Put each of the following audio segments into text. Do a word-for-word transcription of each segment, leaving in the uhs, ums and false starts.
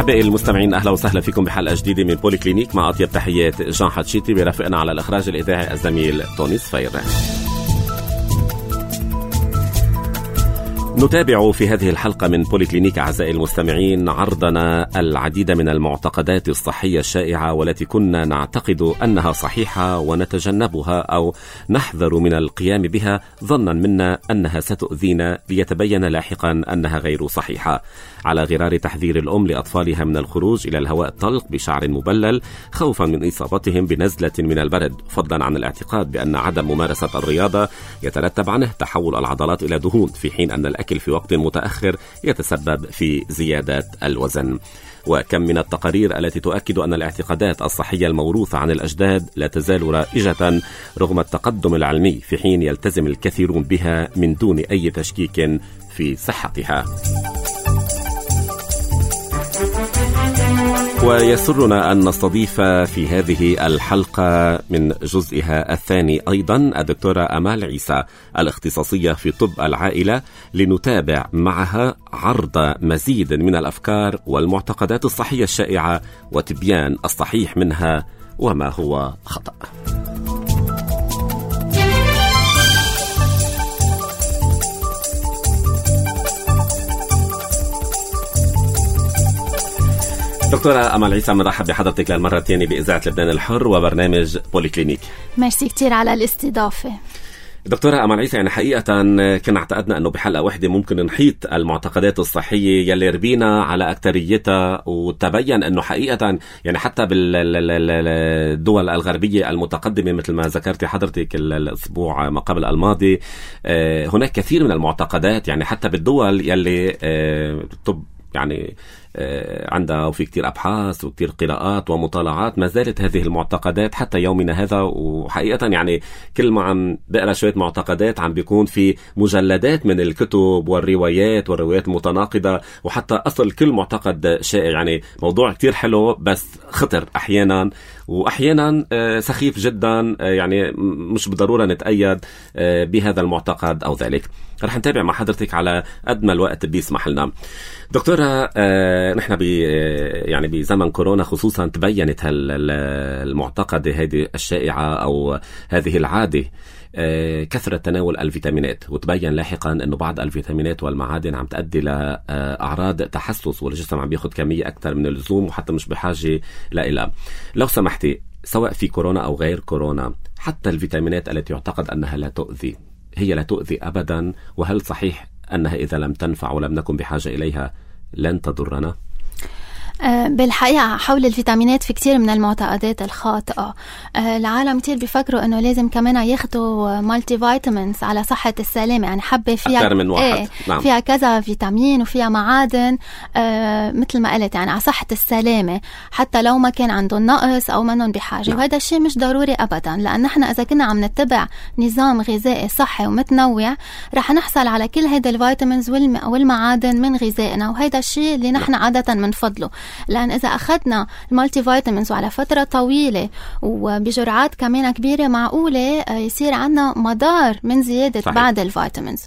أحبائي المستمعين، أهلا وسهلا فيكم بحلقة جديدة من بولي كلينيك، مع أطيب تحيات جان حتشيتي، برافقنا على الإخراج الإذاعي الزميل توني صفير. نتابع في هذه الحلقة من بولي كلينيك أعزائي المستمعين عرضنا العديد من المعتقدات الصحية الشائعة والتي كنا نعتقد أنها صحيحة ونتجنبها أو نحذر من القيام بها ظنا منا أنها ستؤذينا، ليتبين لاحقا أنها غير صحيحة. على غرار تحذير الأم لأطفالها من الخروج إلى الهواء الطلق بشعر مبلل خوفا من إصابتهم بنزلة من البرد، فضلا عن الاعتقاد بأن عدم ممارسة الرياضة يترتب عنه تحول العضلات إلى دهون، في حين أن الأكل في وقت متأخر يتسبب في زيادة الوزن. وكم من التقارير التي تؤكد أن الاعتقادات الصحية الموروثة عن الأجداد لا تزال رائجة رغم التقدم العلمي، في حين يلتزم الكثيرون بها من دون أي تشكيك في صحتها. ويسرنا أن نستضيف في هذه الحلقة من جزئها الثاني أيضا الدكتورة أمال عيسى الاختصاصية في طب العائلة، لنتابع معها عرض مزيد من الأفكار والمعتقدات الصحية الشائعة وتبيان الصحيح منها وما هو خطأ. دكتورة أمال عيسى، مرحب بحضرتك للمرة الثانية بإذاعة لبنان الحر وبرنامج بولي كلينيك. ميرسي كتير على الاستضافة. دكتورة أمال عيسى، يعني حقيقة كنا اعتقدنا أنه بحلقة واحدة ممكن نحيط المعتقدات الصحية يلي ربينا على أكتريتها، وتبين أنه حقيقة يعني حتى بالدول الغربية المتقدمة مثل ما ذكرتي حضرتك الأسبوع ما قبل الماضي، هناك كثير من المعتقدات، يعني حتى بالدول يلي طب يعني عندها وفي كتير أبحاث وكتير قراءات ومطالعات، ما زالت هذه المعتقدات حتى يومنا هذا. وحقيقة يعني كل ما عم بقرأ شوية معتقدات عم بيكون في مجلدات من الكتب والروايات والروايات المتناقضة، وحتى أصل كل معتقد شائع. يعني موضوع كتير حلو بس خطر أحيانا، وأحيانا سخيف جدا، يعني مش بالضرورة نتأيد بهذا المعتقد أو ذلك. رح نتابع مع حضرتك على قد ما الوقت بيسمح لنا. دكتورة، نحن بي يعني بزمن كورونا خصوصا تبينت المعتقدة هذه الشائعة أو هذه العادة كثرة تناول الفيتامينات، وتبين لاحقا أنه بعض الفيتامينات والمعادن عم تؤدي لأعراض تحسس، والجسم عم بياخد كمية أكثر من اللزوم وحتى مش بحاجة لإلها. لو سمحتي، سواء في كورونا أو غير كورونا، حتى الفيتامينات التي يعتقد أنها لا تؤذي هي لا تؤذي أبدا، وهل صحيح أنها إذا لم تنفع ولم نكن بحاجة إليها لن تضرنا؟ بالحقيقة حول الفيتامينات في كتير من المعتقدات الخاطئة. العالم كتير بيفكروا انه لازم كمان ياخدوا مالتي فيتامينز على صحة السلامة، يعني حبة فيها أكثر من واحد. ايه نعم. فيها كذا فيتامين وفيها معادن، آه مثل ما قلت يعني على صحة السلامة، حتى لو ما كان عندهم نقص او منهم بحاجة. نعم. وهذا الشيء مش ضروري ابدا، لان احنا اذا كنا عم نتبع نظام غذائي صحي ومتنوع رح نحصل على كل هيدا الفيتامينز والمعادن من غذائنا، وهذا الشيء اللي نحن عادة منفضله. لأن إذا أخذنا المالتي فيتامينز وعلى فترة طويلة وبجرعات كمان كبيرة، معقولة يصير عنا مضار من زيادة صحيح. بعض الفيتامينز.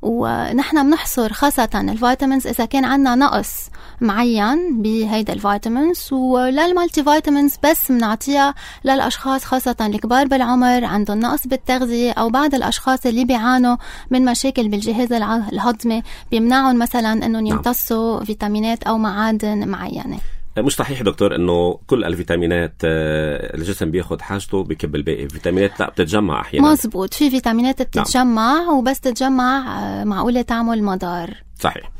ونحن بنحصر خاصة الفيتامينز إذا كان عنا نقص معين بهيدا الفيتامينز، ولا المالتي فيتامينز بس منعطيها للأشخاص خاصة الكبار بالعمر عندهم نقص بالتغذية، أو بعض الأشخاص اللي بيعانوا من مشاكل بالجهاز الهضمي بيمنعهم مثلا أنهم يمتصوا فيتامينات أو معادن معينة. مش صحيح دكتور انه كل الفيتامينات الجسم بياخد حاجته بكب الباقي؟ فيتامينات لا بتتجمع احيانا. مزبوط، في فيتامينات بتتجمع. نعم. وبس تتجمع معقولة تعمل مضار. صحيح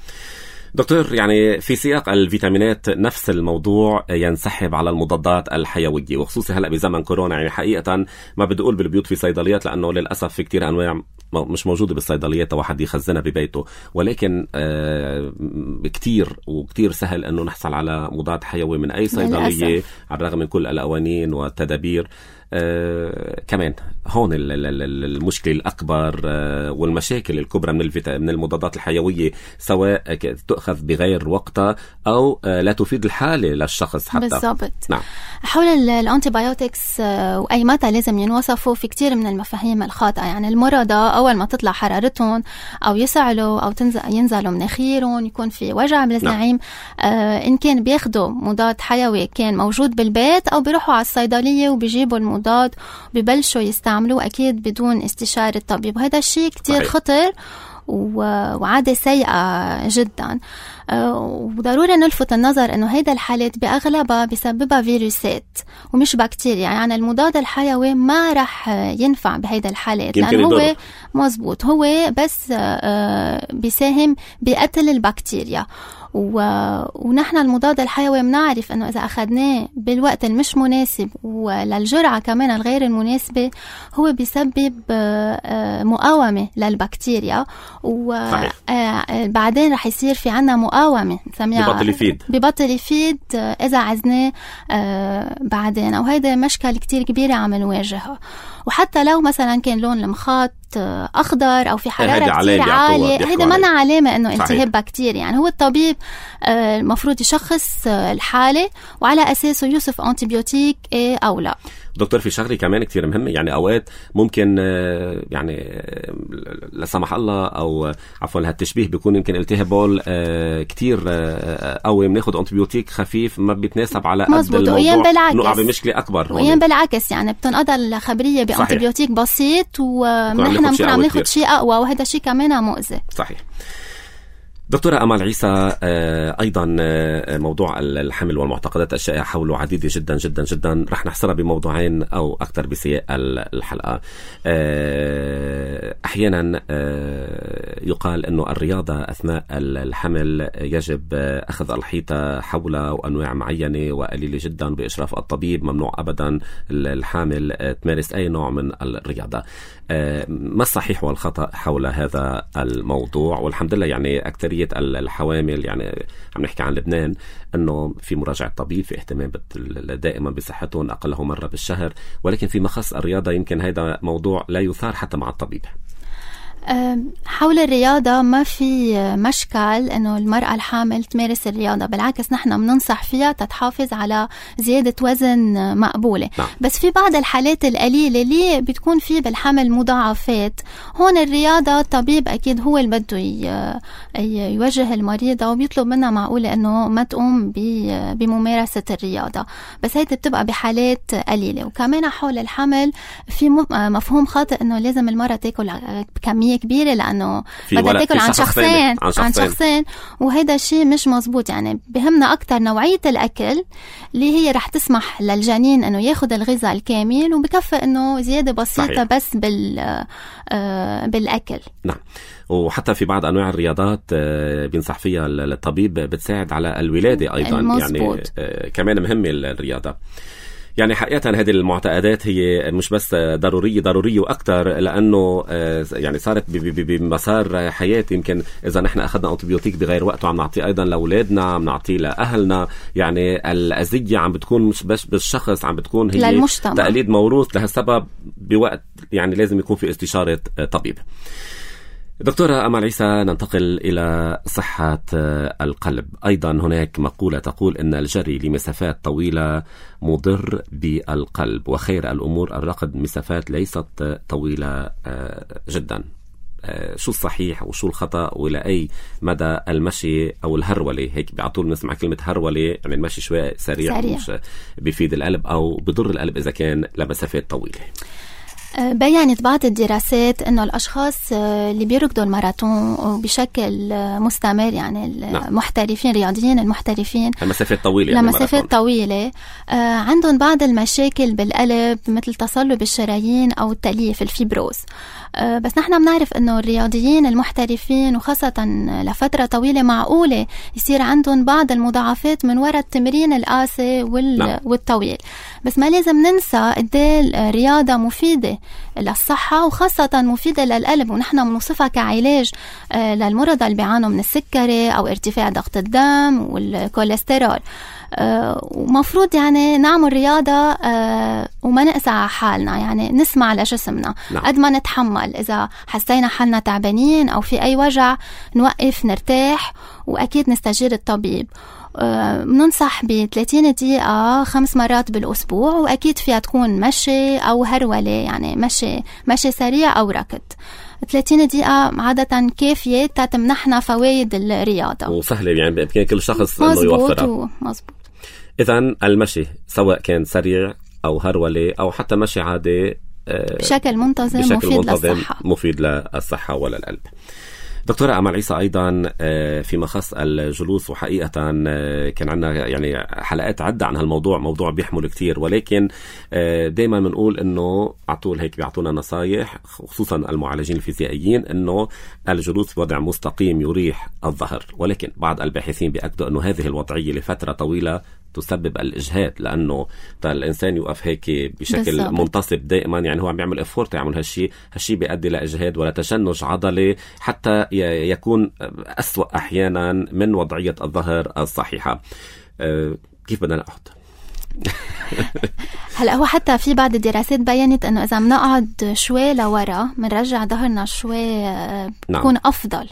دكتور. يعني في سياق الفيتامينات نفس الموضوع ينسحب على المضادات الحيوية، وخصوصا هلأ بزمن كورونا. يعني حقيقة ما بدي أقول بالبيوت في صيدليات، لأنه للأسف في كتير أنواع مش موجودة بالصيدليات واحد يخزنها ببيته، ولكن آه كتير وكتير سهل أنه نحصل على مضاد حيوي من أي صيدلية على الرغم من كل القوانين والتدابير. آه كمان هون المشكلة الأكبر آه والمشاكل الكبرى من الفيتا من المضادات الحيوية، سواء تؤخذ بغير وقتها أو آه لا تفيد الحالة للشخص حتى. بالضبط. نعم. حول الأنتيبيوتكس آه وأي متى لازم ينوصفوا، في كتير من المفاهيم الخاطئة. يعني المرضى أول ما تطلع حرارتهم أو يسعلوا أو تنزل ينزلوا مناخيرهم، يكون في وجع بالزعيم، نعم. آه إن كان بياخدوا مضاد حيوي كان موجود بالبيت، أو بيروحوا على الصيدلية وبيجيبوا المضاد وبيبلشوا يستعملوه أكيد بدون استشارة الطبيب. وهذا الشيء كتير صحيح. خطر وعادة سيئة جدا. وضروري نلفت النظر أنه هيدا الحالات بأغلبها بسببها فيروسات ومش بكتيريا. يعني المضاد الحيوي ما رح ينفع بهيدا الحالات، لأنه هو مزبوط هو بس بيساهم بقتل البكتيريا. و... ونحن المضاد الحيوي منعرف أنه إذا أخذناه بالوقت المش مناسب وللجرعة كمان الغير المناسبة، هو بيسبب مقاومة للبكتيريا، وبعدين رح يصير في عنا مقاومة ببطل يفيد ببطل يفيد إذا عزناه بعدين. أو هيدا مشكلة كتير كبيرة عم نواجهها. وحتى لو مثلا كان لون المخاط أخضر أو في حرارة كتير عالية، هيدا منا علامة أنه التهاب بكتيري. يعني هو الطبيب المفروض يشخص الحالة وعلى أساسه يوصف أنتيبيوتيك إيه أو لا. دكتور، في شغلة كمان كتير مهمة. يعني أوقات ممكن يعني لا سمح الله أو عفوا هالتشبيه بيكون يمكن التهاب كتير قوي، بناخد أنتيبيوتيك خفيف ما بيتناسب على قد الموضوع، نقع بمشكلة أكبر. وين بالعكس يعني بتنقضى الخبرية بأنتيبيوتيك بسيط ونحن ممكن عم ناخد شيء أقوى، وهذا شيء كمان مؤذي. صحيح. دكتورة أمال عيسى، أيضا موضوع الحمل والمعتقدات الشائعة حوله عديدة جدا جدا جدا. رح نحصرها بموضوعين أو أكثر بسياق الحلقة. أحيانا يقال أنه الرياضة أثناء الحمل يجب أخذ الحيطة حولها وأنواع معينة وقليلة جدا بإشراف الطبيب. ممنوع أبدا الحامل تمارس أي نوع من الرياضة. ما الصحيح والخطأ حول هذا الموضوع؟ والحمد لله يعني أكثرية الحوامل، يعني عم نحكي عن لبنان، أنه في مراجعة طبيب، في اهتمام دائما بصحتهم أقله مرة بالشهر. ولكن في مخص الرياضة يمكن هذا موضوع لا يثار حتى مع الطبيب. حول الرياضة ما في مشكل أنه المرأة الحامل تمارس الرياضة، بالعكس نحن بننصح فيها تتحافظ على زيادة وزن مقبولة. نعم. بس في بعض الحالات القليلة اللي بتكون في بالحمل مضاعفات، هون الرياضة الطبيب أكيد هو اللي بده يوجه المريضة وبيطلب منها معقولة أنه ما تقوم بممارسة الرياضة، بس هيدا بتبقى بحالات قليلة. وكمان حول الحمل في مفهوم خاطئ أنه لازم المرأة تاكل كمية كبيرة، لأنه بدها تاكل عن شخصين عن شخصين, عن شخصين وهذا الشيء مش مزبوط. يعني بهمنا أكتر نوعية الأكل اللي هي رح تسمح للجنين أنه ياخد الغذاء الكامل، وبكفي أنه زيادة بسيطة. صحيح. بس بال آه بالأكل. نعم. وحتى في بعض أنواع الرياضات بينصح فيها الطبيب بتساعد على الولادة أيضا. المزبوط. يعني كمان مهمة الرياضة. يعني حقيقة هذه المعتقدات هي مش بس ضرورية ضرورية وأكتر، لأنه يعني صارت بمسار حياة. يمكن إذا نحن أخذنا أنتيبيوتيك بغير وقته عم نعطيه أيضا لأولادنا، عم نعطيه لأهلنا. يعني الأذية عم بتكون مش بس بالشخص، عم بتكون هي للمجتمع. تقليد موروث. لهالسبب بوقت يعني لازم يكون في استشارة طبيب. دكتورة أمال عيسى، ننتقل إلى صحة القلب. أيضا هناك مقولة تقول أن الجري لمسافات طويلة مضر بالقلب، وخير الأمور الركض مسافات ليست طويلة جدا. شو الصحيح وشو الخطأ، وإلى أي مدى المشي أو الهرولة، هيك بعطول نسمع كلمة هرولة يعني المشي شوي سريع, سريع. مش بيفيد القلب أو بضر القلب إذا كان لمسافات طويلة؟ بيّنت بعض الدراسات إنه الأشخاص اللي بيركضوا الماراثون بشكل مستمر، يعني المحترفين الرياضيين المحترفين لمسافات طويلة لمسافات طويلة عندهم بعض المشاكل بالقلب مثل تصلب الشرايين أو التليف الفيبروز. بس نحن بنعرف إنه الرياضيين المحترفين وخاصة لفترة طويلة معقولة يصير عندهم بعض المضاعفات من وراء التمرين القاسي وال... والطويل. بس ما لازم ننسى قد ايه الرياضة مفيدة للصحة وخاصة مفيدة للقلب، ونحن بنوصفها كعلاج للمرضى اللي بيعانوا من السكري أو ارتفاع ضغط الدم والكوليسترول. ومفروض يعني نعمل رياضة وما نقسى على حالنا، يعني نسمع لجسمنا قد ما نتحمل. إذا حسينا حالنا تعبانين أو في أي وجع نوقف نرتاح، وأكيد نستشير الطبيب. بننصح ب ثلاثين دقيقة خمس مرات بالأسبوع، وأكيد فيها تكون مشي أو هرولة، يعني مشي مشي سريع أو ركض. ثلاثين دقيقة عادة كافية تتمنحنا فوائد الرياضة، وسهلة يعني بإمكان كل شخص إنه يوفرها. مظبوط. إذن المشي سواء كان سريع أو هرولة أو حتى مشي عادي بشكل منتظم بشكل مفيد منتظم للصحة مفيد للصحة وللقلب. دكتورة أمل عيسى، أيضا فيما خص الجلوس، وحقيقة كان عندنا يعني حلقات عدة عن هالموضوع، موضوع بيحمل كتير، ولكن دايما بنقول إنه عطول هيك بيعطونا نصايح، خصوصا المعالجين الفيزيائيين، إنه الجلوس بوضع مستقيم يريح الظهر، ولكن بعض الباحثين بيأكدوا إنه هذه الوضعية لفترة طويلة تسبب الإجهاد، لأنه الإنسان يوقف هيك بشكل بالزبط. منتصب دائما، يعني هو عم يعمل إفورت يعمل هالشي هالشي بيؤدي لإجهاد ولا تشنج عضلي، حتى يكون أسوأ أحيانا من وضعية الظهر الصحيحة. أه كيف بدنا نقعد؟ هلا هو حتى في بعض الدراسات بيّنت انه اذا بنقعد شوي لورا بنرجع ظهرنا شوي بكون نعم. افضل،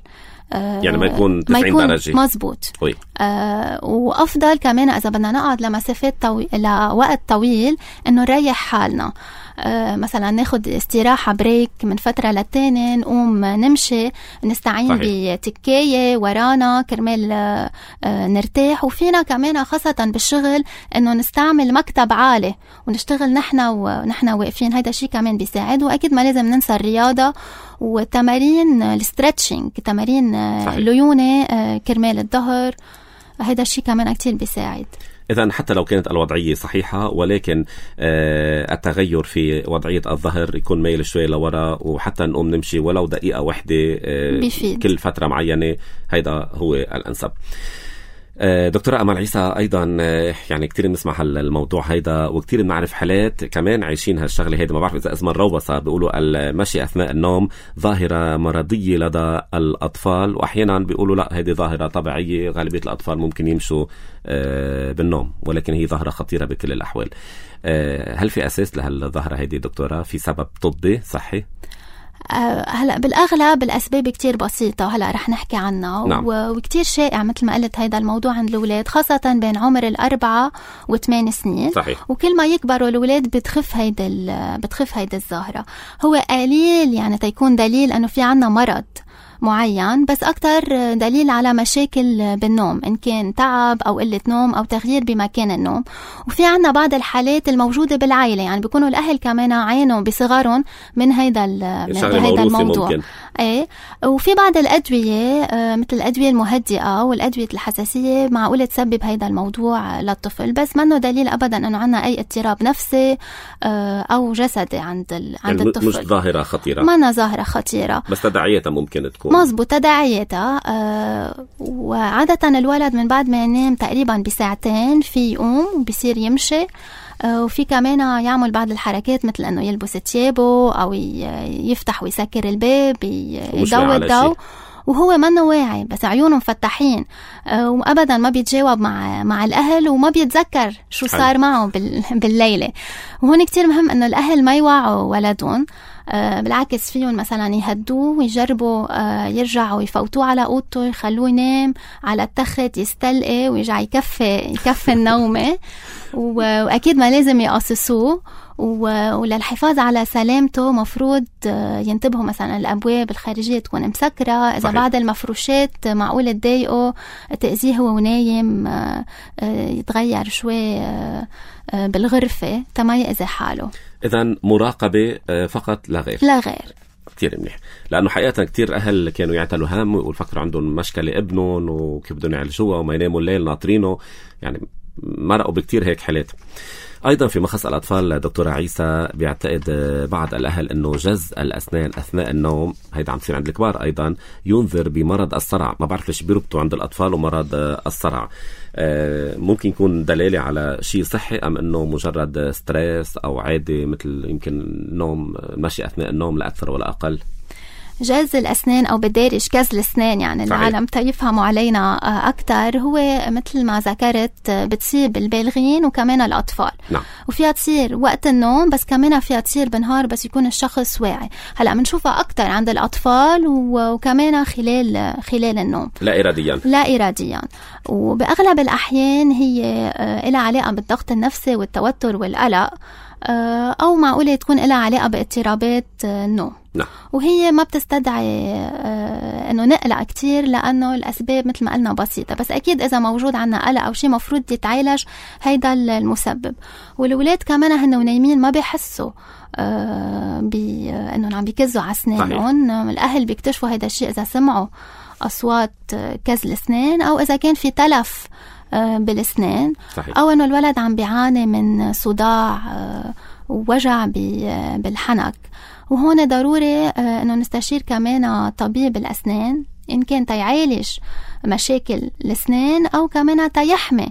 يعني ما يكون تسعين درجة. مزبوط. آه وأفضل كمان إذا بدنا نقعد لمسافات طويل لوقت طويل إنه نريح حالنا. آه مثلا ناخد استراحة بريك من فترة للتاني، نقوم نمشي، نستعين بتكاية ورانا كرمال آه نرتاح. وفينا كمان خاصة بالشغل إنه نستعمل مكتب عالي ونشتغل نحن ونحن واقفين، هيدا شيء كمان بيساعد. وأكيد ما لازم ننسى الرياضة وتمارين الستريتشنج، تمارين الليونة كرمال الظهر، هيدا الشيء كمان كتير بيساعد. إذن حتى لو كانت الوضعية صحيحة، ولكن التغير في وضعية الظهر يكون ميل شوي لورا، وحتى نقوم نمشي ولو دقيقة واحدة بيفيد. كل فترة معينة، هيدا هو الأنسب. دكتورة أمل عيسى، أيضا يعني كتير بنسمع الموضوع هيدا، وكتير بنعرف حالات كمان عايشين هالشغلة هيدا. ما بعرف إذا اسمها الروبصة، بيقولوا المشي أثناء النوم ظاهرة مرضية لدى الأطفال، وأحيانا بيقولوا لا، هيدي ظاهرة طبيعية، غالبية الأطفال ممكن يمشوا بالنوم، ولكن هي ظاهرة خطيرة بكل الأحوال. هل في أساس لهالظاهرة هيدي دكتورة؟ في سبب طبي صحي؟ هلا بالأغلب الأسباب كتير بسيطة، هلا رح نحكي عنها. نعم. وكتير شائع مثل ما قلت هيدا الموضوع عند الأولاد، خاصة بين عمر الأربعة وثمان سنين. صحيح. وكل ما يكبروا الأولاد بتخف هيدا بتخف هيدا الظاهرة. هو قليل يعني تيكون دليل أنه في عنا مرض معين، بس أكتر دليل على مشاكل بالنوم، إن كان تعب أو قلة نوم أو تغيير بمكان النوم. وفي عنا بعض الحالات الموجودة بالعائلة، يعني بيكونوا الأهل كمان عانوا بصغارهم من هيدا من هيدا الموضوع. ممكن. ايه. وفي بعض الأدوية مثل الأدوية المهدئة والأدوية الحساسية معقولة تسبب هيدا الموضوع للطفل، بس منه دليل أبدا أنه عنا أي اضطراب نفسي أو جسدي عند عند يعني الطفل. مش ظاهرة خطيرة. ما ظاهرة خطيرة، بس تداعياتها ممكن تكون. مظبوط، تداعياتها. آه وعادة الولد من بعد ما ينام تقريبا بساعتين في يقوم وبيصير يمشي، آه وفي كمان يعمل بعض الحركات مثل انه يلبس ثيابه او يفتح ويسكر الباب، يضوي الضوء، وهو منه واعي، بس عيونه مفتحين، آه وابدا ما بيتجاوب مع مع الاهل وما بيتذكر شو صار معه بالليله. وهون كتير مهم انه الاهل ما يوعوا ولدهم، آه بالعكس فيهم مثلا يهدوه ويجربوا آه يرجعوا يفوتوه على اوضته، يخلوه ينام على التخت يستلقي ويرجع يكفي يكفي النومه. واكيد ما لازم يقصصوه، وللحفاظ على سلامته مفروض ينتبهوا مثلا الأبواب الخارجية تكون مسكرة، إذا صحيح. بعض المفروشات معقول تضايقه تأذيه هو ونايم، يتغير شوي بالغرفة تما يأذي حاله. إذن مراقبة فقط لا غير. لا غير. كتير منيح، لأنه حقيقة كتير أهل كانوا يعتلوا هم ويفكروا عندهم مشكلة ابنهم وكيف بدهم يعالجوها وما يناموا الليل ناطرينه. يعني مرقوا بكتير هيك حالات. أيضا في مخص الأطفال دكتورة عيسى بيعتقد بعض الأهل أنه جز الأسنان أثناء النوم، هيدا عم تصير عند الكبار أيضا، ينذر بمرض الصرع. ما بعرف ليش بيربطوا عند الأطفال ومرض الصرع. ممكن يكون دلالة على شيء صحي أم أنه مجرد ستريس أو عادي مثل يمكن نوم ماشي أثناء النوم لا أكثر ولا أقل؟ جز الأسنان أو بالدارج كز الأسنان يعني صحيح. العالم تيفهموا علينا أكتر. هو مثل ما ذكرت بتصيب البالغين وكمان الأطفال. نعم. وفيها تصير وقت النوم بس كمان فيها تصير بالنهار بس يكون الشخص واعي. هلأ منشوفها أكتر عند الأطفال وكمان خلال خلال النوم لا إراديا لا إراديا وبأغلب الأحيان هي لها علاقة بالضغط النفسي والتوتر والقلق، أو معقولة تكون لها علاقة باضطرابات النوم. نعم. وهي ما بتستدعي انه نقلق كتير لانه الاسباب مثل ما قلنا بسيطه، بس اكيد اذا موجود عنا قلق او شيء مفروض يتعالج هيدا المسبب. والولاد كمان هن ونايمين ما بيحسوا بانه عم بيكزوا على اسنانهم. الاهل بيكتشفوا هيدا الشيء اذا سمعوا اصوات كز الاسنان او اذا كان في تلف بالاسنان. صحيح. او انه الولد عم بيعاني من صداع ووجع بالحنك. وهون ضروري انه نستشير كمان طبيب الاسنان ان كان تيعالج مشاكل الاسنان او كمان تيحمي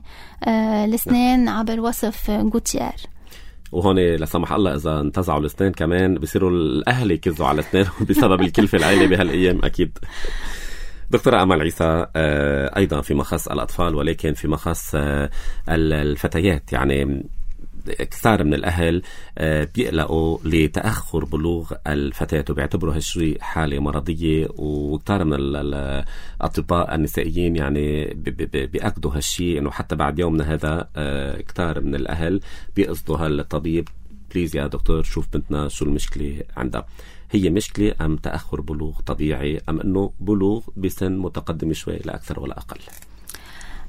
الاسنان عبر وصف غوتيير. وهون لا سمح الله اذا انتزعوا الاسنان كمان بيصيروا الاهل يكزوا على اسنانهم بسبب الكلفه العائله بهالايام اكيد. دكتورة أمل عيسى، أيضا في مخص الأطفال ولكن في مخص الفتيات، يعني كثير من الأهل بيقلقوا لتأخر بلوغ الفتاة وبيعتبروا هالشيء حالة مرضية، وكثير من الأطباء النسائيين يعني بيأكدوا هالشيء إنه حتى بعد يومنا هذا كثير من الأهل بيقصدوا هالطبيب بليز يا دكتور شوف بنتنا شو المشكلة عندها. هي مشكلة أم تأخر بلوغ طبيعي أم أنه بلوغ بسن متقدم شوي لا أكثر ولا أقل؟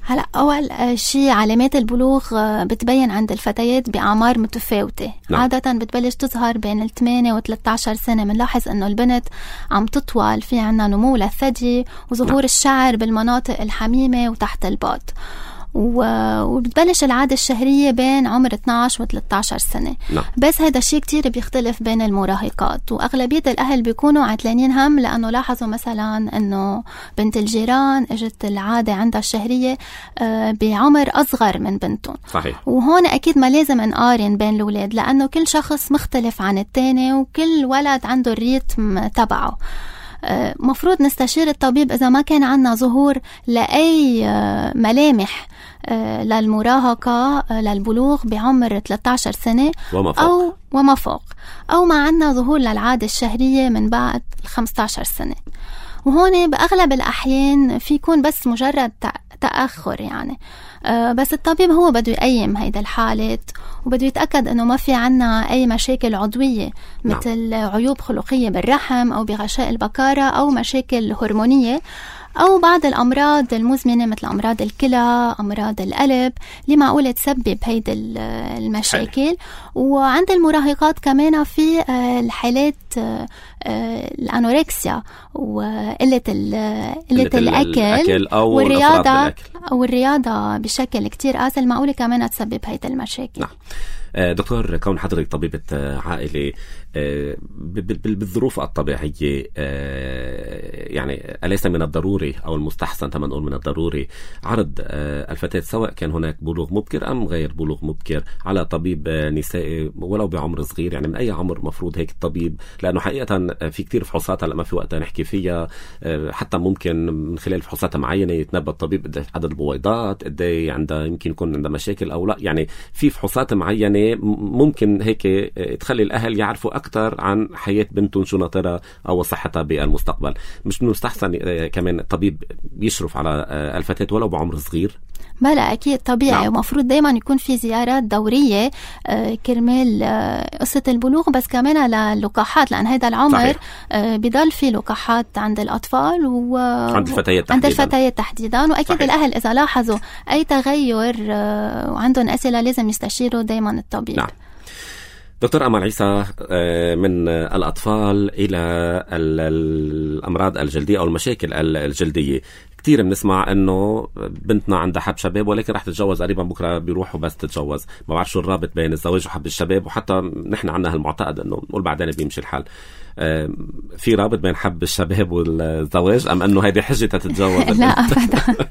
هلا أول شيء علامات البلوغ بتبين عند الفتيات بأعمار متفاوتة. نعم. عادة بتبلش تظهر بين الثمانية وثلاثة عشر سنة. منلاحظ أنه البنت عم تطول، في عنا نمو للثدي وظهور نعم. الشعر بالمناطق الحميمة وتحت الباط. وبتبلش العادة الشهرية بين عمر اثنعش و ثلاثة عشر سنة. نعم. بس هذا الشيء كتير بيختلف بين المراهقات، وأغلبية الأهل بيكونوا عتلانين هم لأنه لاحظوا مثلا أنه بنت الجيران اجت العادة عندها الشهرية بعمر أصغر من بنتهم. صحيح. وهون أكيد ما لازم نقارن بين الأولاد لأنه كل شخص مختلف عن التاني وكل ولد عنده الريتم تبعه. مفروض نستشير الطبيب إذا ما كان عنا ظهور لأي ملامح للمراهقة للبلوغ بعمر ثلاثة عشر سنة وما فوق. أو وما فوق أو ما عنا ظهور للعادة الشهرية من بعد خمسة عشر سنة. وهون بأغلب الأحيان في يكون بس مجرد تأخر يعني، بس الطبيب هو بده يقيم هيدا الحالات وبده يتأكد أنه ما في عنا أي مشاكل عضوية مثل نعم. عيوب خلقية بالرحم أو بغشاء البكارة أو مشاكل هرمونية أو بعض الأمراض المزمنة مثل أمراض الكلى، أمراض القلب اللي معقولة تسبب هيدا المشاكل. حلو. وعند المراهقات كمان في الحالات الأنوركسيا وقلة قلة الأكل أو والرياضة أو الرياضة بشكل كتير قاسي معقولة كمان تسبب هيدا المشاكل. نعم. دكتور، كون حضرتك طبيبة عائلة بالظروف الطبيعية، يعني أليس من الضروري أو المستحسن تما نقول من الضروري عرض الفتاة سواء كان هناك بلوغ مبكر أم غير بلوغ مبكر على طبيب نسائي ولو بعمر صغير؟ يعني من أي عمر مفروض هيك الطبيب؟ لأنه حقيقة في كتير فحوصات هلا ما في وقت نحكي فيها، حتى ممكن من خلال فحوصات معينة يتنبأ الطبيب قد عدد البويضات، قد عندها يمكن يكون عندها مشاكل أو لا. يعني في فحوصات معينة ممكن هيك تخلي الأهل يعرفوا أكثر عن حياة بنتهم شو ناطرة أو صحتها بالمستقبل. مش من المستحسن كمان الطبيب يشرف على الفتاة ولو بعمر صغير؟ بلا أكيد طبيعي. نعم. ومفروض دايما يكون في زيارات دورية كرمال قصة البلوغ، بس كمان للقاحات لأن هذا العمر بيضل في لقاحات عند الأطفال وعند الفتيات تحديدا. عند الفتيات تحديدا. وأكيد صحيح. الأهل إذا لاحظوا أي تغير وعندهم أسئلة لازم يستشيروا دايما الطبيب. نعم. دكتور أمل عيسى، من الأطفال إلى الأمراض الجلدية أو المشاكل الجلدية، كتير بنسمع انه بنتنا عندها حب شباب ولكن رح تتجوز قريبا بكره بيروحوا بس تتجوز. ما بعرف شو الرابط بين الزواج وحب الشباب، وحتى نحن عندنا هالمعتقد انه نقول بعدين بيمشي الحال. في رابط بين حب الشباب والزواج ام انه هيدي حجة تتجوز؟ لا ابدا.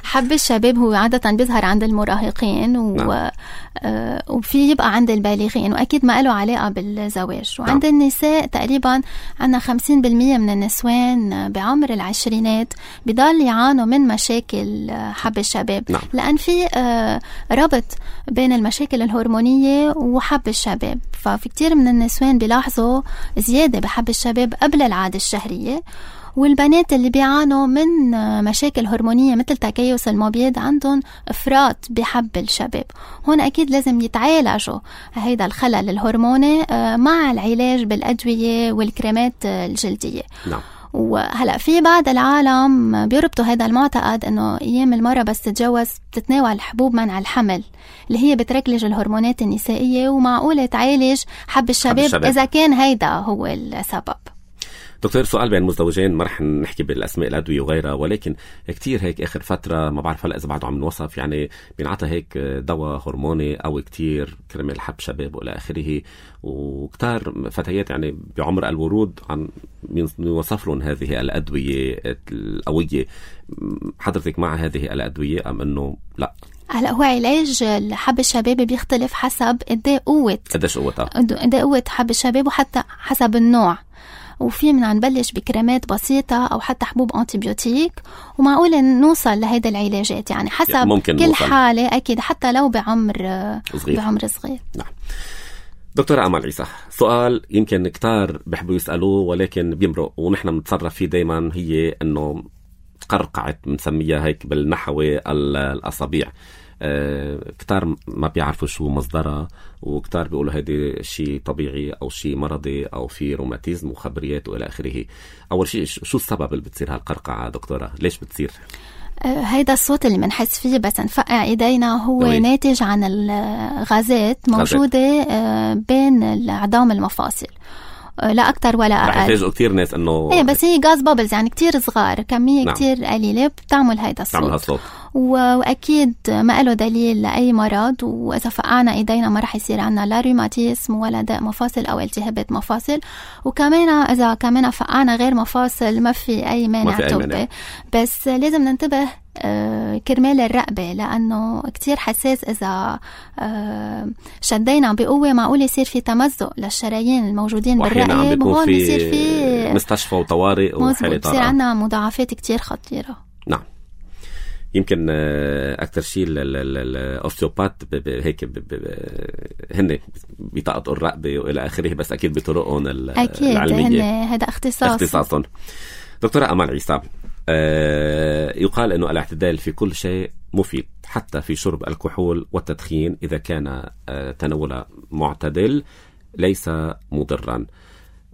حب الشباب هو عادة بيظهر عند المراهقين و... نعم. آه وفي يبقى عند البالغين، وأكيد ما له علاقة بالزواج. وعند نعم. النساء تقريبا عنا خمسين بالمية من النسوان بعمر العشرينات بضل يعانوا من مشاكل حب الشباب. نعم. لأن في آه ربط بين المشاكل الهرمونية وحب الشباب، ففي كتير من النسوان بيلاحظوا زيادة بحب الشباب قبل العادة الشهرية. والبنات اللي بيعانوا من مشاكل هرمونية مثل تكيس المبيض عندهم إفراط بحب الشباب. هون أكيد لازم يتعالجوا هيدا الخلل الهرموني مع العلاج بالأدوية والكريمات الجلدية. نعم. وهلأ في بعض العالم بيربطوا هذا المعتقد انه ايام المرة بس تتجوز بتتناول حبوب منع الحمل اللي هي بتركلج الهرمونات النسائية، ومعقولة تعالج حب الشباب, حب الشباب اذا كان هيدا هو السبب. دكتور، سؤال بين مزدوجين، ما رح نحكي بالاسماء الادويه وغيرها، ولكن كتير هيك اخر فتره ما بعرف هلا اذا بعده عم نوصف، يعني بينعطى هيك دواء هرموني او كتير كرمال حب شباب والى اخره، وكتار فتيات يعني بعمر الورود عم يوصف لهم هذه الادويه القويه. حضرتك مع هذه الادويه ام انه لا؟ هلا هو علاج حب الشباب بيختلف حسب قد ايه قوه قديش قوتها قد ايه قوه حب الشباب، وحتى حسب النوع. وفي من نبلش بكريمات بسيطة أو حتى حبوب أنتيبيوتيك، ومعقول نوصل لهيدا العلاجات يعني حسب يعني كل نوصل. حالة أكيد حتى لو بعمر صغير. بعمر صغير. نعم. دكتورة أمل عيسى، سؤال يمكن كتار بيحبوا يسألوه ولكن بيمرق ونحن بنتصرف فيه دايما، هي أنه قرقعت بنسميها هيك بالنحوي الأصابيع. أه كتار ما بيعرفوا شو مصدرها، وكتار بيقولوا هيدي شيء طبيعي أو شيء مرضي أو في روماتيزم وخبريات وإلى آخره. أول شيء شو السبب اللي بتصير هالقرقعة دكتورة؟ ليش بتصير؟ أه هيدا الصوت اللي منحس فيه بس نفقع إيدينا هو نوي. ناتج عن الغازات موجودة أه بين عظام المفاصل، لا أكتر ولا أقل. رح يفاجئوا كتير ناس إنه إيه بس هي غاز بابلز يعني كتير صغار، كمية نعم. كتير قليلة بتعمل هيدا الصوت. تعمل هالصوت. وأكيد ما له دليل لأي مرض، وإذا فقعنا إيدينا ما رح يصير عنا لا روماتيزم ولا داء مفاصل أو التهابات مفاصل. وكمان إذا كمان فقعنا غير مفاصل ما في أي مانع طبي، بس لازم ننتبه آه كرمال الرقبة، لأنه كتير حساس. إذا آه شدينا بقوة معقول يصير في تمزق للشرايين الموجودين بالرقبة، وهون بيصير في مستشفى وطوارئ وحالة بصير عنا مضاعفات كتير خطيرة. نعم. يمكن أكتر شيء الأوستيوبات هيك هن بيطاقطوا الرقبة وإلى آخره، بس أكيد بطرقهم العلمية أكيد هذا اختصاص اختصاصهم. دكتورة أمل عيسى، يقال أنه الاعتدال في كل شيء مفيد، حتى في شرب الكحول والتدخين إذا كان تناول معتدل ليس مضرا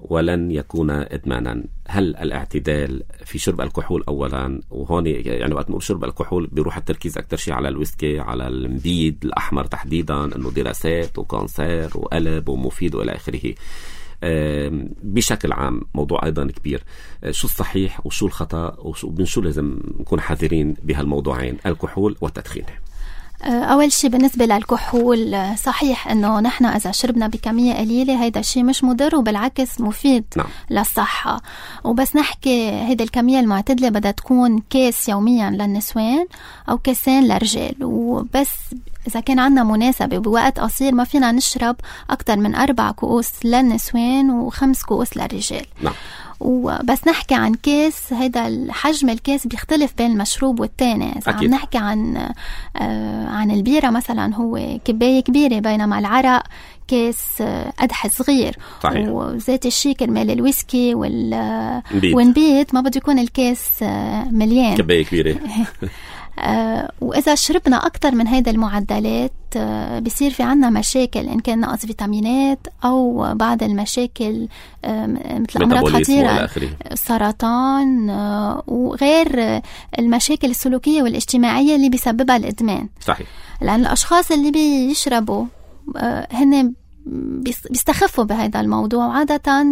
ولن يكون إدمانا. هل الاعتدال في شرب الكحول أولا، وهون يعني وقت نقول شرب الكحول بيروح التركيز أكتر شيء على الويسكي، على المبيد الأحمر تحديدا، أنه دراسات وكانسر وقلب ومفيد وإلى آخره. بشكل عام موضوع أيضا كبير، شو الصحيح وشو الخطأ ومن شو لازم نكون حذرين بهالموضوعين الكحول والتدخين؟ أول شيء بالنسبة للكحول، صحيح أنه نحن إذا شربنا بكمية قليلة هيدا الشيء مش مضر وبالعكس مفيد نعم. للصحة. وبس نحكي هيدا الكمية المعتدلة بدها تكون كاس يوميا للنسوان أو كاسين للرجال، وبس إذا كان عنا مناسبة بوقت قصير ما فينا نشرب أكتر من أربع كؤوس للنسوان وخمس كؤوس للرجال نعم. وبس نحكي عن كاس، هيدا الحجم الكاس بيختلف بين المشروب والتاني. إذا عم نحكي عن آه عن البيرة مثلا هو كباية كبيرة، بينما العرق كاس قدح صغير. صحيح. وذات الشيء كرمال الويسكي والنبيت ما بده يكون الكاس مليان، كباية كبيرة. آه وإذا شربنا أكتر من هيدا المعدلات آه بيصير في عنا مشاكل، إن كان نقص فيتامينات أو بعض المشاكل آه مثل أمراض خطيرة، السرطان آه وغير المشاكل السلوكية والاجتماعية اللي بيسببها الإدمان. صحيح. لأن الأشخاص اللي بيشربوا آه هن بيستخفوا بهذا الموضوع، وعادة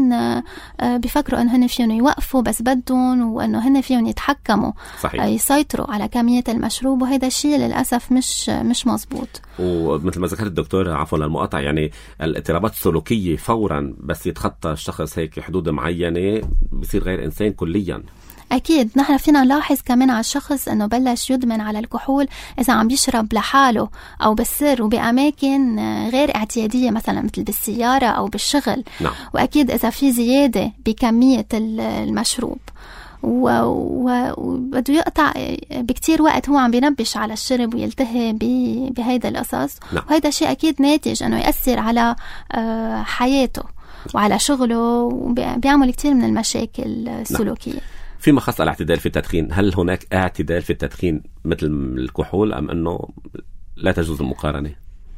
بيفكروا انه هن فيهم يوقفوا بس بدهم، وانه هن فيهم يتحكموا صحيح. يسيطروا على كمية المشروب، وهذا الشيء للأسف مش مش مزبوط. ومثل ما ذكرت الدكتور، عفوا للمقاطعة، يعني الاضطرابات السلوكية فورا بس يتخطى الشخص هيك حدود معينة بصير غير إنسان كليا. أكيد نحن فينا نلاحظ كمان على الشخص أنه بلش يدمن على الكحول إذا عم بيشرب لحاله أو بالسر وبأماكن غير اعتيادية، مثلا مثل بالسيارة أو بالشغل. نعم. وأكيد إذا في زيادة بكمية المشروب وبده يقطع بكتير وقت، هو عم بينبش على الشرب ويلتهي بهذا الأساس. نعم. وهذا شيء أكيد ناتج أنه يأثر على حياته وعلى شغله، وبيعمل كتير من المشاكل السلوكية. نعم. فيما خص الاعتدال في التدخين، هل هناك اعتدال في التدخين مثل الكحول أم أنه لا تجوز المقارنة؟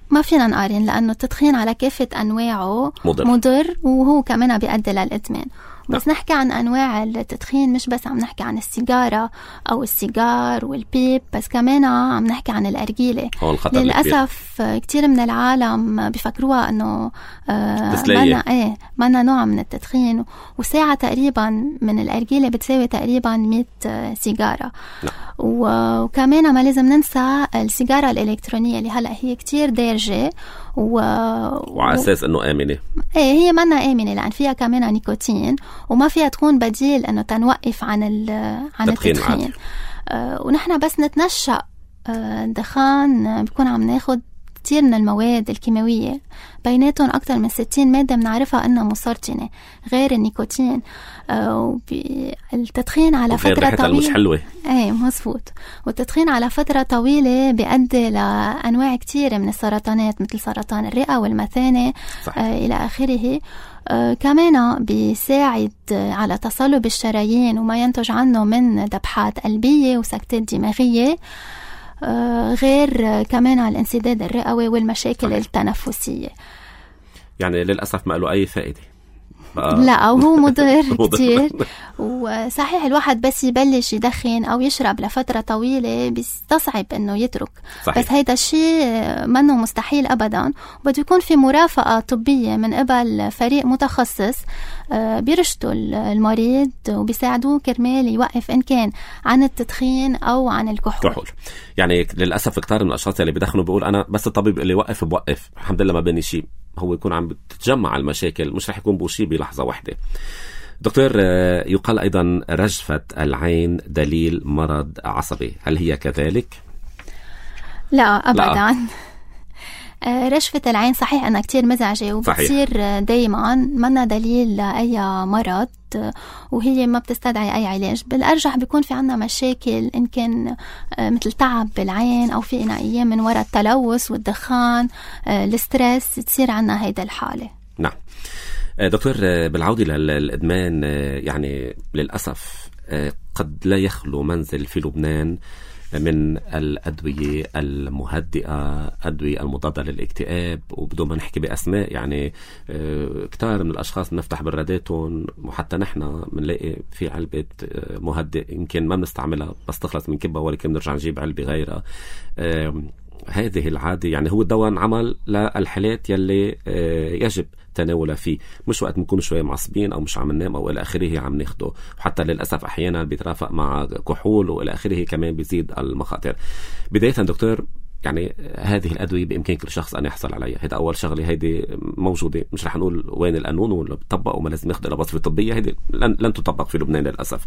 ما فينا نقارن، لأنه التدخين على كافة أنواعه مضر, مضر وهو كمان بيؤدي للإدمان. بس نعم. نحكي عن أنواع التدخين، مش بس عم نحكي عن السيجارة أو السيجار والبيب، بس كمان عم نحكي عن الأرجيلة. للأسف كتير من العالم بيفكروها أنه آه منا, ايه منا نوع من التدخين، وساعة تقريبا من الأرجيلة بتساوي تقريبا مئة سيجارة. نعم. وكمان ما لازم ننسى السيجارة الإلكترونية اللي هلأ هي كتير دارجة و... وعلى أساس أنه آمنة. ايه هي منا آمنة لأن فيها كمان نيكوتين، وما فيها تكون بديل أنه تنوقف عن ال... عن التدخين. آه ونحن بس نتنشأ آه الدخان بيكون عم ناخد كتير من المواد الكيماوية، بيناتهم أكتر من ستين مادة بنعرفها أنها مسرطنة غير النيكوتين. آه التدخين على فترة طويلة مش حلوة. ايه مظبوط. والتدخين على فترة طويلة بيؤدي لأنواع كتير من السرطانات مثل سرطان الرئة والمثانة آه إلى آخره. آه كمان بيساعد على تصلب الشرايين وما ينتج عنه من ذبحات قلبية وسكتات دماغية، آه غير كمان على الانسداد الرئوي والمشاكل صحيح. التنفسية. يعني للأسف ما له أي فائدة. لا وهو مضر كتير. وصحيح الواحد بس يبلش يدخن أو يشرب لفترة طويلة بيستصعب إنه يترك. صحيح. بس هيدا الشيء منه مستحيل أبدا، وبده يكون في مرافقة طبية من قبل فريق متخصص بيرشدوا المريض وبيساعدوه كرمال يوقف إن كان عن التدخين أو عن الكحول. كحول. يعني للأسف كتار من الأشخاص اللي بيدخنوا بيقول أنا بس الطبيب اللي يوقف بوقف، الحمد لله ما بيني شيء. هو يكون عم بتتجمع المشاكل، مش رح يكون بوشي بلحظة واحدة. دكتور، يقال أيضا رجفة العين دليل مرض عصبي، هل هي كذلك؟ لا أبدا. لا. رجفة العين صحيح أنها كتير مزعجة وبتصير دايما منا دليل لأي مرض، وهي ما بتستدعي أي علاج. بالأرجح بيكون في عنا مشاكل إن كان مثل تعب بالعين، أو في أيام من وراء التلوث والدخان الستريس تصير عنا هيدا الحالة. نعم دكتور، بالعودة للإدمان، يعني للأسف قد لا يخلو منزل في لبنان من الأدوية المهدئة، أدوية المضادة للاكتئاب، وبدون ما نحكي بأسماء يعني كتار من الأشخاص بنفتح براداتهم، وحتى نحن بنلاقي في علبة مهدئ يمكن ما بنستعملها بس تخلص من كبها، ولكن بنرجع نجيب علبة غيرها. هذه العادة يعني هو الدواء عمل للحالات يلي يجب تناولها فيه، مش وقت نكون شوية معصبين أو مش عم ننام أو إلى آخره عم ناخده، وحتى للأسف أحيانا بيترافق مع كحول وإلى آخره كمان بيزيد المخاطر. بداية دكتور، يعني هذه الأدوية بإمكان كل شخص أن يحصل عليها، هذا أول شغلة، هيدي موجودة، مش رح نقول وين القانون ولا بتطبق وما لازم ياخد الوصفة الطبية، هيدي لن, لن تطبق في لبنان للأسف.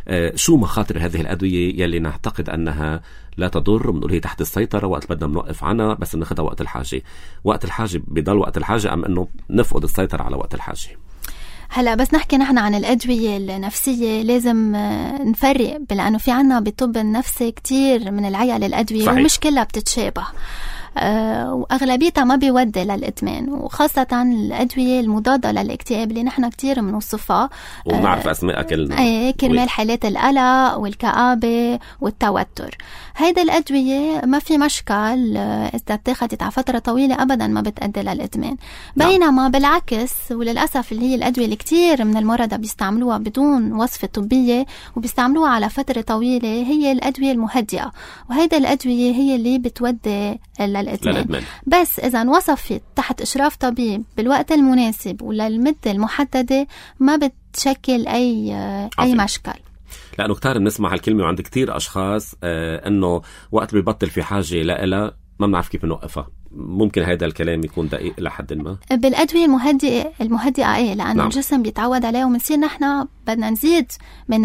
آه شو مخاطر هذه الأدوية يلي نعتقد أنها لا تضر، بنقول هي تحت السيطرة وقت بدنا بنوقف عنها، بس بناخدها وقت الحاجة. وقت الحاجة بيضل وقت الحاجة، أم أنه نفقد السيطرة على وقت الحاجة؟ هلا بس نحكي نحن عن الأدوية النفسية لازم نفرق، لأنه في عنا بالطب النفسي كتير من العيال الأدوية صحيح. ومش كلها بتتشابه، أه وأغلبيتها ما بيودي للإدمان، وخاصة الأدوية المضادة للاكتئاب اللي نحن كتير بنوصفها ونعرف أه أسماء كلنا ايه كرمال حالات القلق والكآبة والتوتر. هيدا الأدوية ما في مشكل إذا اتخذت على فترة طويلة أبدا ما بتأدي للإدمان، بينما بالعكس وللأسف اللي هي الأدوية اللي كتير من المرضى بيستعملوها بدون وصفة طبية وبيستعملوها على فترة طويلة هي الأدوية المهدئة، وهيدا الأدوية هي اللي بتودي للإدمان. للإدمان. بس إذا وصفت تحت إشراف طبيب بالوقت المناسب وللمدة المحددة ما بتشكل أي أي مشكل. لأنه كتار بنسمع هالكلمة وعند كتير أشخاص آه أنه وقت بيبطل في حاجة لإلها ما بنعرف كيف نوقفها. ممكن هذا الكلام يكون دقيق لحد ما بالأدوية المهدئة المهدئة إيه لأن نعم. الجسم بيتعود عليه ومنصير نحن بدنا نزيد من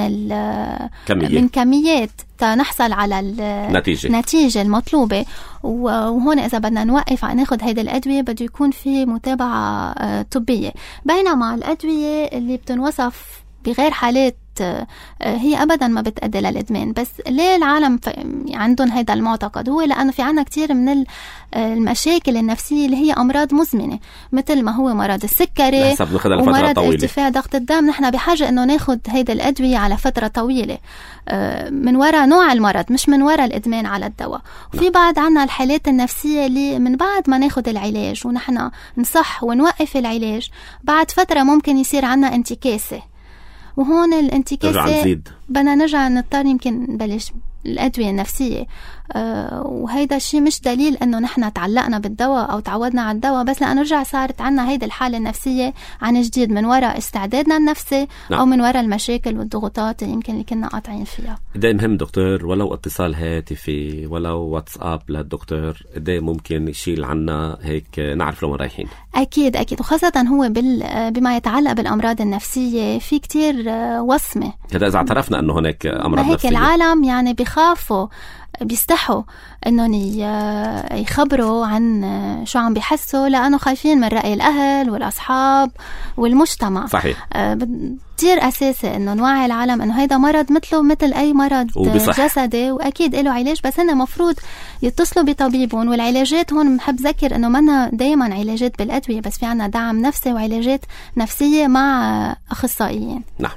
كمية. من كميات تنحصل على النتيجة النتيجة المطلوبة. وهون إذا بدنا نوقف عن ناخد هيدا الأدوية بده يكون في متابعة طبية. بينما الأدوية اللي بتنوصف بغير حالات هي أبدا ما بتأدي للإدمان. بس ليه العالم عندهم هذا المعتقد؟ هو لأنه في عنا كتير من المشاكل النفسية اللي هي أمراض مزمنة مثل ما هو مرض السكري ومرض ارتفاع ضغط الدم. نحن بحاجة أنه ناخد هيدا الأدوية على فترة طويلة من وراء نوع المرض مش من وراء الإدمان على الدواء. وفي بعد عنا الحالات النفسية اللي من بعد ما ناخد العلاج ونحن نصح ونوقف العلاج بعد فترة ممكن يصير عنا انتكاسة. وهون الانتكاسة بدنا نرجع نضطر يمكن نبلش الأدوية النفسية. أه وهيدا الشيء مش دليل أنه نحن تعلقنا بالدواء أو تعودنا على الدواء بس لأنه نرجع صارت عنا هيدا الحالة النفسية عن جديد من وراء استعدادنا النفسي نعم. أو من وراء المشاكل والضغوطات اللي يمكن اللي كنا قاطعين فيها. ده مهم دكتور ولو اتصال هاتفي ولو واتساب للدكتور ده ممكن يشيل عنا هيك نعرف لو رايحين. أكيد أكيد وخاصة هو بال بما يتعلق بالأمراض النفسية في كتير وصمة. هذا إذا اعترفنا أنه هناك أمراض هيك نفسية. العالم يعني بيخافوا بيستحوا انهم يخبروا عن شو عم بيحسوا لانه خايفين من رأي الاهل والاصحاب والمجتمع. صحيح. كتير اساسي انه نوعي العالم انه هيدا مرض مثله مثل اي مرض وبصح. جسدي واكيد له علاج بس هن مفروض يتصلوا بطبيبهم. والعلاجات هون بحب ذكر انه منا دايما علاجات بالادويه بس في عنا دعم نفسي وعلاجات نفسيه مع اخصائيين. نعم.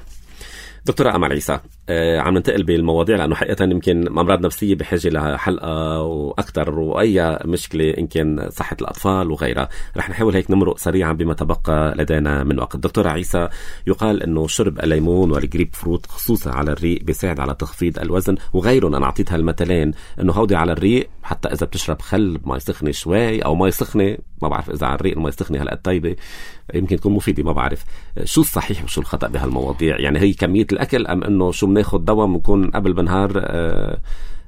دكتورة أمل عيسى آه عم ننتقل بالمواضيع لأنه حقيقة يمكن أمراض نفسية بحاجة لها حلقة وأكثر وأي مشكلة إن كان صحة الأطفال وغيرها. رح نحاول هيك نمرق سريعا بما تبقى لدينا من وقت. دكتورة عيسى يقال أنه شرب الليمون والجريب فروت خصوصا على الريق بيساعد على تخفيض الوزن وغيرهم. أنا أعطيتها المثلين أنه هودي على الريق حتى إذا بتشرب خل ما يسخنة شوي أو ما يسخنة ما بعرف إذا على الريق ما يسخنة هلأ طيبة يمكن تكون مفيدة ما بعرف. شو الصحيح وشو الخطأ بهالمواضيع؟ يعني هي كمية الأكل أم أنه شو بناخد دواء بنكون قبل بنهار آه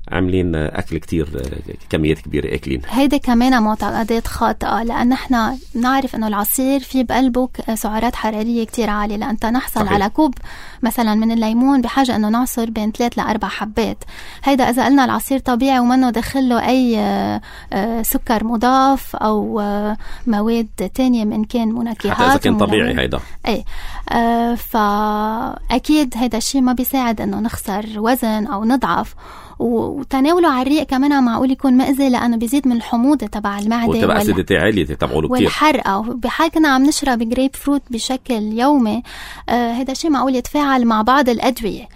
عاملين أكل كتير آه كميات كبيرة أكلين؟ هيدا كمان معتقدات خاطئة لأن احنا نعرف أنه العصير في بقلبه سعرات حرارية كتير عالية. لأن نحصل صحيح. على كوب مثلا من الليمون بحاجة أنه نعصر بين ثلاث لأربع حبات. هيدا إذا قلنا العصير طبيعي ومنه دخله أي آه آه سكر مضاف أو آه مواد تانية من كان منكهات حتى إذا كان طبيعي هيدا أي آه فأكيد هيدا الشيء ما بيساعد أنه نخسر وزن أو نضعف. وتناوله على الريق كمان معقول يكون مأذي لأنه بيزيد من الحموضة تبع المعدة وتبقى أسيدتي عالية تبعوله كتير والحرقة. بحال كنا عم نشرب جريب فروت بشكل يومي آه هذا الشيء معقول يتفاعل مع بعض الأدوية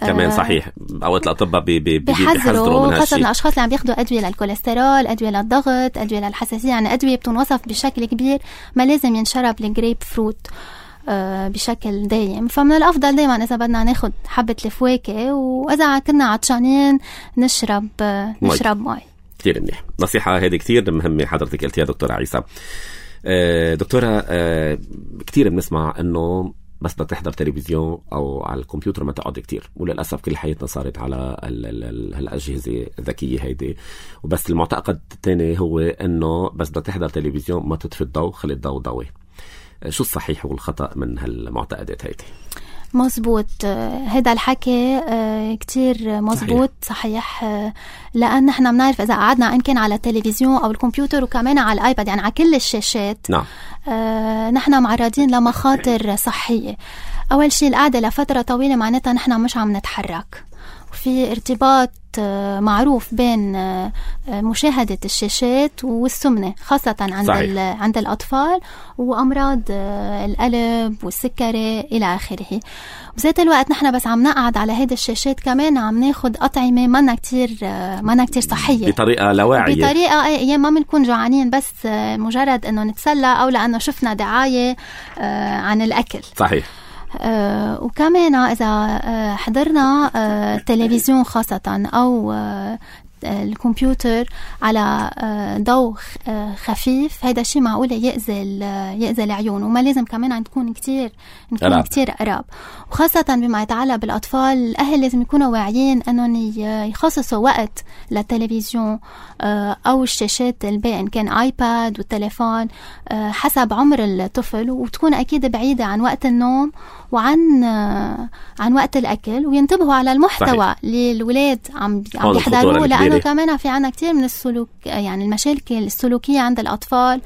كمان. صحيح. اوقات الاطباء بي بي بيحذروا خاصه الاشخاص اللي عم بياخذوا ادويه للكوليسترول ادويه للضغط ادويه للحساسيه. يعني ادويه بتنوصف بشكل كبير ما لازم ينشرب الجريب فروت بشكل دايم. فمن الأفضل دايما إذا بدنا ناخد حبة الفواكه وإذا كنا عطشانين نشرب نشرب مي. كتير منيح. نصيحة هذه كتير مهمة حضرتك قلتيها دكتورة عيسى. دكتورة كتير بنسمع إنه بس بدك تحضر تلفزيون أو على الكمبيوتر ما تقعد كتير. وللأسف كل حياتنا صارت على هالأجهزة الذكية هيدي. وبس المعتقد الثاني هو إنه بس بدك تحضر تلفزيون ما تطفي الضوء خلي الضوء ضوي. شو الصحيح والخطأ من هالمعتقدات هيدي؟ مزبوط. هذا الحكي كتير مزبوط. صحيح, صحيح. لأن نحن بنعرف إذا قعدنا إن كان على التلفزيون أو الكمبيوتر وكمان على الآيباد يعني على كل الشاشات نعم. نحن معرضين لمخاطر صحية. أول شيء القعدة لفترة طويلة معناتها نحن مش عم نتحرك. في ارتباط معروف بين مشاهدة الشاشات والسمنة خاصة عند عند الأطفال وأمراض القلب والسكري إلى آخره. بذات الوقت نحن بس عم نقعد على هيدا الشاشات كمان عم ناخد أطعمة منا كتير منا كتير صحية بطريقة لا واعية بطريقة أيام ما بنكون جوعانين بس مجرد إنه نتسلى أو لأنه شفنا دعاية عن الأكل. صحيح. آه وكمان إذا آه حضرنا آه تلفزيون خاصة أو آه الكمبيوتر على ضوء خفيف، هيدا الشيء معقولة يأذي يأذي العيون، وما لازم كمان نكون كتير نكون أراب. كتير قراب، وخاصة بما يتعلق بالأطفال. الأهل لازم يكونوا واعيين أنهم يخصصوا وقت للتلفزيون أو الشاشات الباقية، إن كان آيباد والتليفون حسب عمر الطفل، وتكون أكيد بعيدة عن وقت النوم وعن عن وقت الأكل، وينتبهوا على المحتوى صحيح. اللي الولاد عم عم يحضروه، لأنه كمان في عنا كتير من السلوك، يعني المشاكل السلوكية عند الأطفال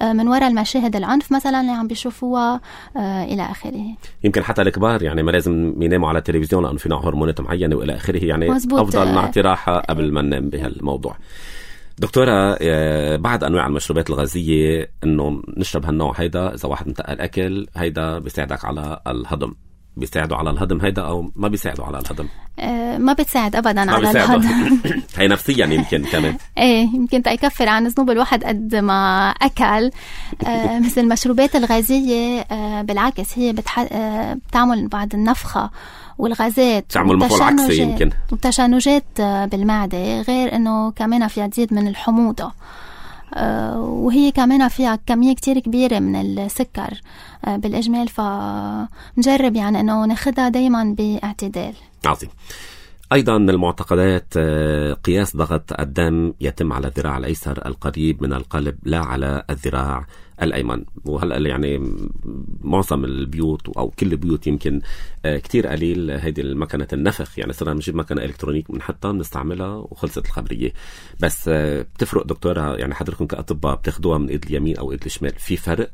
من وراء المشاهد العنف مثلا اللي عم بيشوفوها إلى آخره. يمكن حتى الكبار يعني ما لازم يناموا على التلفزيون لأنه في نوع هرمونات معينة وإلى آخره، يعني مزبوط. أفضل نعطي راحة قبل ما ننام بهالموضوع. دكتورة، بعد أنواع المشروبات الغازية إنه نشرب هالنوع هيدا، إذا واحد متقل أكل هيدا بيساعدك على الهضم، بيساعدوا على الهضم هيدا أو ما بيساعدوا على الهضم؟ أه ما بتساعد أبدا على الهضم. هي نفسيا يمكن كمان ايه يمكن تيكفر عن ذنوب الواحد قد ما أكل. أه مثل المشروبات الغازية أه بالعكس هي بتح... أه بتعمل بعد النفخة والغازات، تعمل مفعول عكسي يمكن، وتشنجات بالمعدة، غير انه كمان فيها تزيد من الحموضة، وهي كمان فيها كمية كتير كبيرة من السكر بالإجمال، فنجرب يعني انه ناخدها دايما باعتدال. عظيم. أيضا من المعتقدات قياس ضغط الدم يتم على الذراع الأيسر القريب من القلب لا على الذراع الأيمن، وهلأ يعني معظم البيوت أو كل البيوت يمكن كتير قليل هيدي المكنة النفخ، يعني صرنا نجيب مكنة إلكترونيك بنحطها بنستعملها وخلصت الخبرية. بس بتفرق دكتورة، يعني حضرتكم كأطباء بتاخدوها من إيد اليمين أو إيد الشمال، في فرق؟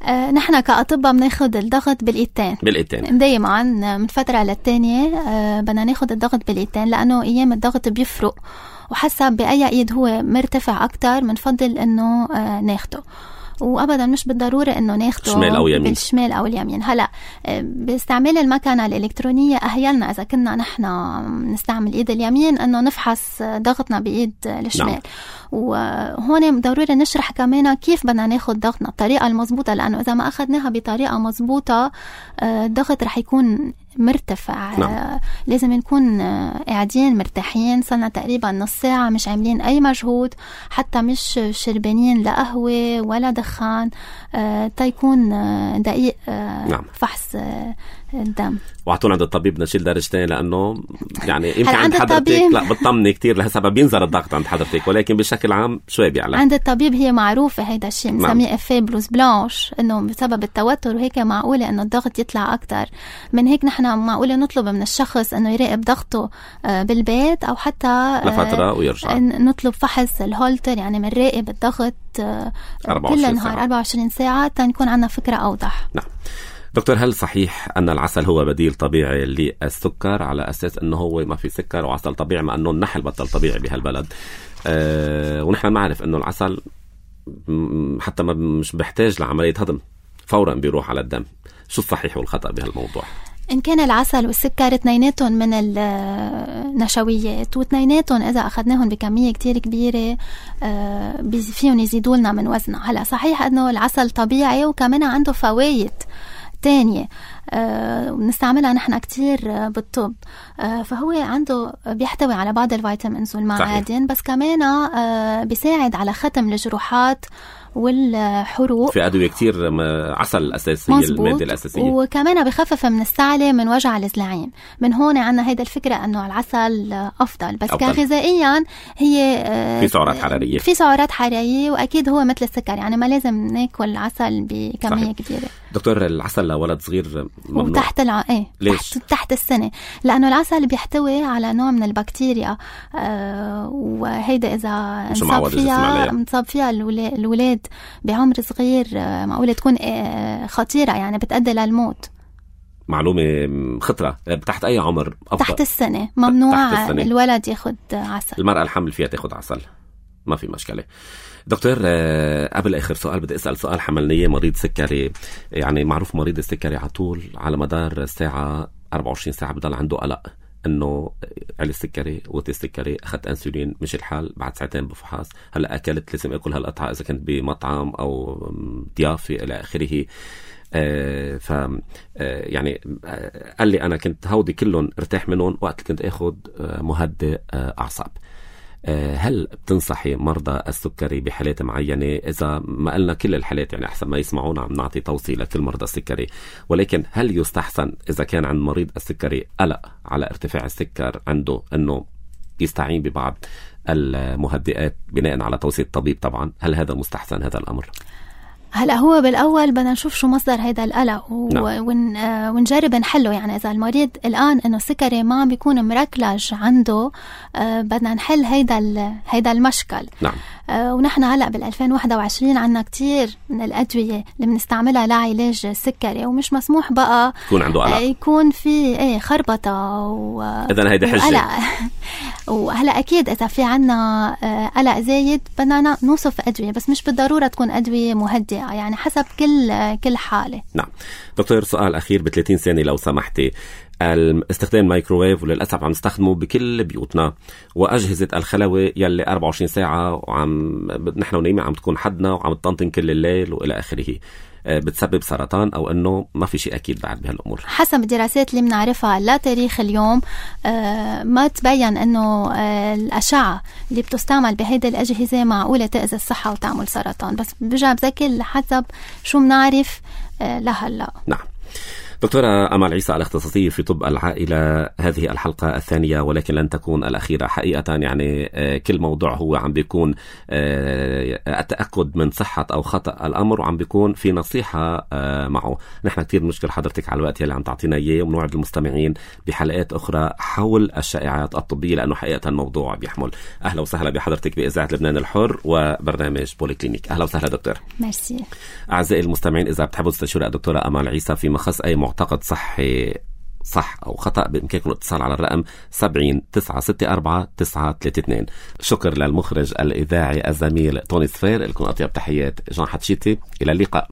آه نحن كأطباء بناخد الضغط بالإيدتين بالإيدتين دايما، من فترة للتانية آه بدنا ناخد الضغط بالإيدتين، لأنه أيام الضغط بيفرق، وحسب بأي إيد هو مرتفع أكتر منفضل إنه آه ناخده، وأبدا مش بالضرورة إنه ناخده شمال أو يمين. بالشمال أو اليمين. هلأ باستعمال المكنة الإلكترونية أهيلنا إذا كنا نحن نستعمل إيد اليمين إنه نفحص ضغطنا بإيد الشمال. نعم. وهون ضروري نشرح كمان كيف بدنا ناخد ضغطنا الطريقة المضبوطة، لأنه إذا ما أخذناها بطريقة مضبوطة الضغط رح يكون مرتفع. نعم. لازم نكون قاعدين مرتاحين، صلنا تقريبا نص ساعة مش عاملين أي مجهود، حتى مش شربانين لا قهوة ولا دخان، تيكون دقيق. نعم. فحص الدم، وعطونا عند الطبيب نشيل درجتين، لأنه يعني يمكن عند حضرتك لا بتطمني كتير لهالسبب بينزل الضغط عند حضرتك، ولكن بشكل عام شوي بيعلى عند الطبيب. هي معروفة هيدا الشيء بنسميه افيه بلوز بلانش، انه بسبب التوتر وهيك معقولة انه الضغط يطلع اكتر. من هيك نحن معقولة نطلب من الشخص انه يراقب ضغطه بالبيت، او حتى لفترة ويرجع نطلب فحص الهولتر، يعني بنراقب الضغط كل نهار أربعة وعشرين ساعة تنكون عنا فكرة اوضح. نعم. دكتور، هل صحيح أن العسل هو بديل طبيعي للسكر على أساس أنه هو ما في سكر وعسل طبيعي، مع أنه النحل بطل طبيعي بهالبلد؟ أه ونحن نعرف أنه العسل حتى ما مش بيحتاج لعملية هضم، فورا بيروح على الدم. شو الصحيح والخطأ بهالموضوع؟ إن كان العسل والسكر اثنيناتهم من النشويات، واثنيناتهم إذا أخذناهم بكمية كتير كبيرة فيهم يزيدوا لنا من وزننا. هلا صحيح أنه العسل طبيعي وكمان عنده فوائد تانية أه بنستعملها نحن كتير بالطب، أه فهو عنده بيحتوي على بعض الفيتامينز والمعادن، بس كمان أه بيساعد على ختم الجروحات والحروق. في أدوية كتير عسل الأساسية، المادة الأساسية، وكمان بخفف من السعلة من وجع الزلعين. من هون عنا هيدا الفكرة أنه العسل أفضل، بس أفضل. كغذائيا هي في سعرات حرارية في سعرات حرارية وأكيد هو مثل السكر، يعني ما لازم ناكل عسل بكمية صحيح. كبيرة. دكتور، العسل لولد صغير ممنوع؟ وتحت الع... ايه تحت... تحت السنة، لأنه العسل بيحتوي على نوع من البكتيريا، آه وهيدا إذا انصاب فيها انصاب فيها الولاد بعمر صغير آه معقولة تكون آه خطيرة، يعني بتأدي للموت. معلومة خطرة. تحت أي عمر أفضل؟ تحت السنة ممنوع تحت السنة. الولد ياخد عسل. المرأة الحمل فيها تاخد عسل، ما في مشكلة. دكتور، قبل آخر سؤال بدي أسأل سؤال حملني. مريض سكري، يعني معروف مريض السكري على طول على مدار الساعة أربعة وعشرين ساعة بضل عنده قلق إنه على السكري وتي السكري، أخذت أنسولين مش الحال، بعد ساعتين بفحص هلأ أكلت لازم أكل هالقطعة إذا كنت بمطعم أو ضيافة إلى آخره. آه ف آه يعني آه قال لي أنا كنت هودي كلهم ارتاح منهم وقت كنت أخذ آه مهدئ آه أعصاب. هل بتنصحي مرضى السكري بحالات معينة؟ إذا ما قلنا كل الحالات يعني أحسن ما يسمعونا عم نعطي توصية لكل مرضى السكري، ولكن هل يستحسن إذا كان عند مريض السكري قلق على ارتفاع السكر عنده أنه يستعين ببعض المهدئات بناء على توصية الطبيب؟ طبعا هل هذا مستحسن هذا الأمر؟ هلا هو بالأول بدنا نشوف شو مصدر هيدا القلق و... نعم. ون... آه ونجرب نحله. يعني إذا المريض الآن إنه السكري ما عم بيكون مركلج عنده، آه بدنا نحل هيدا ال... هيدا المشكل. نعم. آه ونحن هلا بالألفين وواحد وعشرين عنا كتير من الأدوية اللي بنستعملها لعلاج السكري، ومش مسموح بقى يكون عنده قلق، آه يكون في ايه خربطة و... إذن هيدا حجة. وهلا أكيد إذا في عنا آه قلق زايد بدنا نوصف أدوية، بس مش بالضرورة تكون أدوية مهدئة، يعني حسب كل كل حالة. نعم. دكتور سؤال أخير ب ثلاثين ثانية لو سمحتي. استخدام الميكروويف وللأسف عم نستخدمه بكل بيوتنا، وأجهزة الخلوة يلي أربعة وعشرين ساعة وعم نحن ونايمين عم تكون حدنا وعم تطنطن كل الليل وإلى آخره، بتسبب سرطان أو أنه ما في شيء أكيد بعد بهالأمور؟ حسب الدراسات اللي بنعرفها لا تاريخ اليوم آه ما تبين أنه آه الأشعة اللي بتستعمل بهيدا الأجهزة معقولة تأذي الصحة وتعمل سرطان، بس برجع بذكر حسب شو بنعرف آه لهلا. نعم. دكتورة أمال عيسى الاختصاصية في طب العائلة، هذه الحلقة الثانية ولكن لن تكون الأخيرة حقيقة. يعني كل موضوع هو عم بيكون التأكد من صحة أو خطأ الأمر، وعم بيكون في نصيحة معه. نحن كتير بنشكر حضرتك على الوقت اللي عم تعطينا إياه، ونوعد المستمعين بحلقات أخرى حول الشائعات الطبية لأنه حقيقة الموضوع بيحمل. أهلا وسهلا بحضرتك بإذاعة لبنان الحر وبرنامج بوليكلينيك. أهلا وسهلا دكتور. ميرسي. أعزائي المستمعين، إذا بتحبوا تستشيروا الدكتورة أمال عيسى في مخص أي معتقد صحي صح أو خطأ، بإمكانكم الاتصال على الرقم سبعين تسعة ستة أربعة تسعة ثلاثة اثنين. شكر للمخرج الإذاعي الزميل توني صفير. لكم أطيب تحيات جان حتشيتي، إلى اللقاء.